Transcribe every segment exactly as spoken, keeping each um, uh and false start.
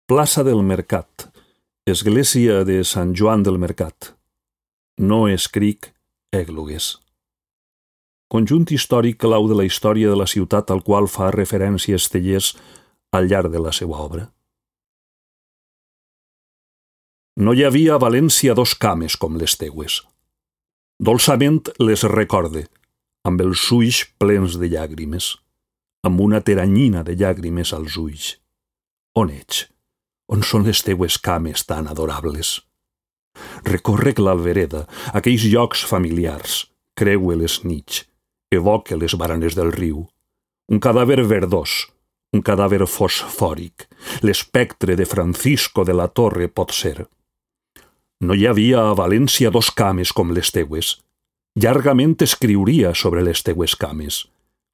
Plaça del Mercat, església de Sant Joan del Mercat. No escric èglogues. Conjunt històric clau de la història de la ciutat al qual fa referència Estellés al llarg de la seva obra. No hi havia a València dos cames com les teues. Dolçament les recorde, amb els ulls plens de llàgrimes, amb una teranyina de llàgrimes als ulls. On ets? On són les teues cames tan adorables? Recorrec l'Albereda, aquells llocs familiars, creue les nits, evoque les baranes del riu. Un cadàver verdós, un cadàver fosfòric, l'espectre de Francisco de la Torre pot ser. No hi havia a València dos cames com les teues. Llargament escriuria sobre les teues cames,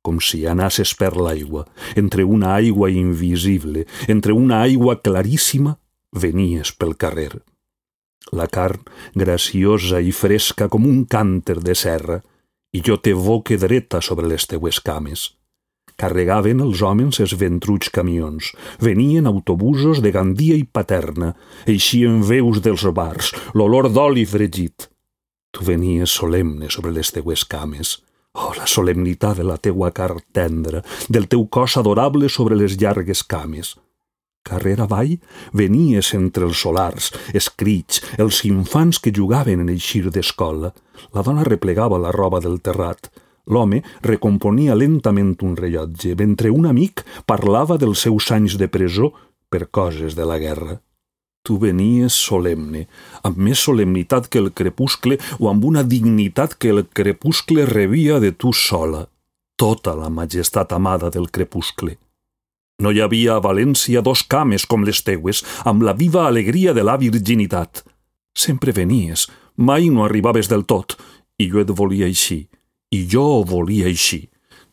com si anasses per l'aigua, entre una aigua invisible, entre una aigua claríssima, venies pel carrer. La carn graciosa i fresca com un cànter de serra, i jo t'evoque dreta sobre les teues cames. Carregaven els homes els ventruts camions, venien autobusos de Gandia i Paterna, eixien veus dels bars, l'olor d'oli fregit. Tu venies solemne sobre les teues cames. Oh, la solemnitat de la teua carn tendra, del teu cos adorable sobre les llargues cames. Carrer avall venies entre els solars, els crits, els infants que jugaven en eixir d'escola. La dona replegava la roba del terrat. L'home recomponia lentament un rellotge, mentre un amic parlava dels seus anys de presó per coses de la guerra. Tu venies solemne, amb més solemnitat que el crepuscle o amb una dignitat que el crepuscle rebia de tu sola, tota la majestat amada del crepuscle. No hi havia a València dos cames com les teues, amb la viva alegria de la virginitat. Sempre venies, mai no arribaves del tot, i jo et volia així, i jo ho volia així.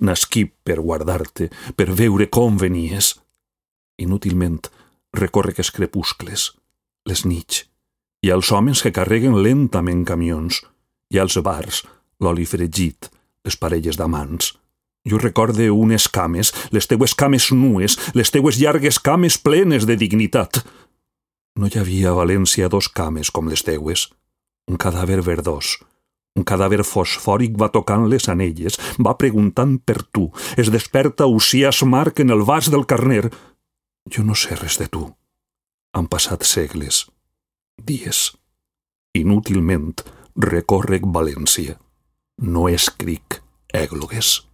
Nasquí per guardar-te, per veure com venies. Inútilment recórrec els crepuscles, les nits. Hi ha els homes que carreguen lentament camions. Hi ha els bars, l'oli fregit, les parelles d'amants. Jo recorde unes cames, les teues cames nues, les teues llargues cames plenes de dignitat. No hi havia a València dos cames com les teues. Un cadàver verdós, un cadàver fosfòric va tocant les anelles, va preguntant per tu, es desperta Usias Marc en el vas del Carner. Jo no sé res de tu. Han passat segles, dies. Inútilment recórrec València. No escric èglogues.